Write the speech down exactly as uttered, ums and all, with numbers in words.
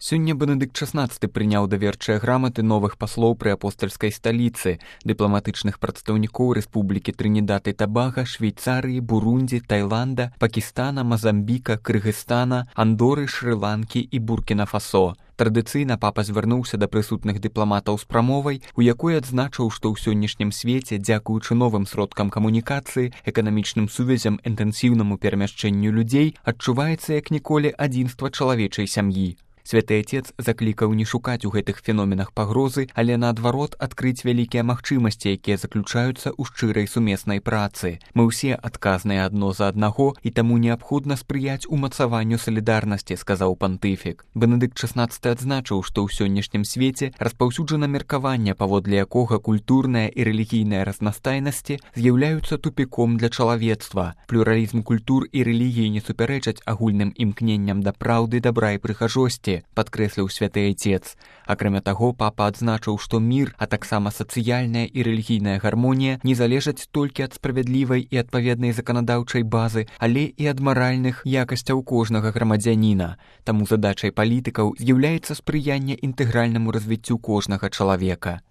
Сёння Бенедыкт шаснаццаты прыняў даверчыя граматы новых паслоў пры апостальскай сталіцы, дыпламатычных прадстаўнікоў Рэспублікі Трынідад і Табага, Швейцарыі, Бурундзі, Тайланда, Пакістана, Мазамбіка, Кыргызстана, Андоры, Шры-Ланкі і Буркіна-Фасо. Традыцыйна папа звярнуўся да прысутных дыпламатаў з прамовай, у якой адзначыў, што ў сённяшнім свеце, дзякуючы новым сродкам камунікацыі, эканамічным сувязям, інтэнсіўнаму перамяшчэнню людзей, адчуваецца як ніколі адзінства чалавечай сям'і. Святы Отец заклікаў не шукаць у гэтых феноменах пагрозы, але наадварот адкрыць вялікія магчымасці, якія заключаюцца ў шчырай сумеснай працы. Мы ўсе адказныя адно за аднаго, і таму неабходна спрыяць умацаванню салідарнасці, сказаў пантыфік. Бенедыкт шаснаццаты адзначыў, што ў сённяшнім свеце распаўсюджана меркаванне, паводле якога культурная і рэлігійная разнастайнасці з'яўляюцца тупіком для чалавецтва. Плюралізм культур і рэлігіі не супярэчаць агульным імкненням да праўды, дабра і прыгажосці, падкрэсліў святы Отец. Акрамя таго, папа адзначыў, што мір, а таксама сацыяльная і рэлігійная гармонія не залежаць толькі ад справядлівай і адпаведнай заканадаўчай базы, але і ад маральных якасцяў кожнага грамадзяніна. Таму задачай палітыкаў з'яўляецца спрыянне інтэгральнаму развіццю кожнага чалавека.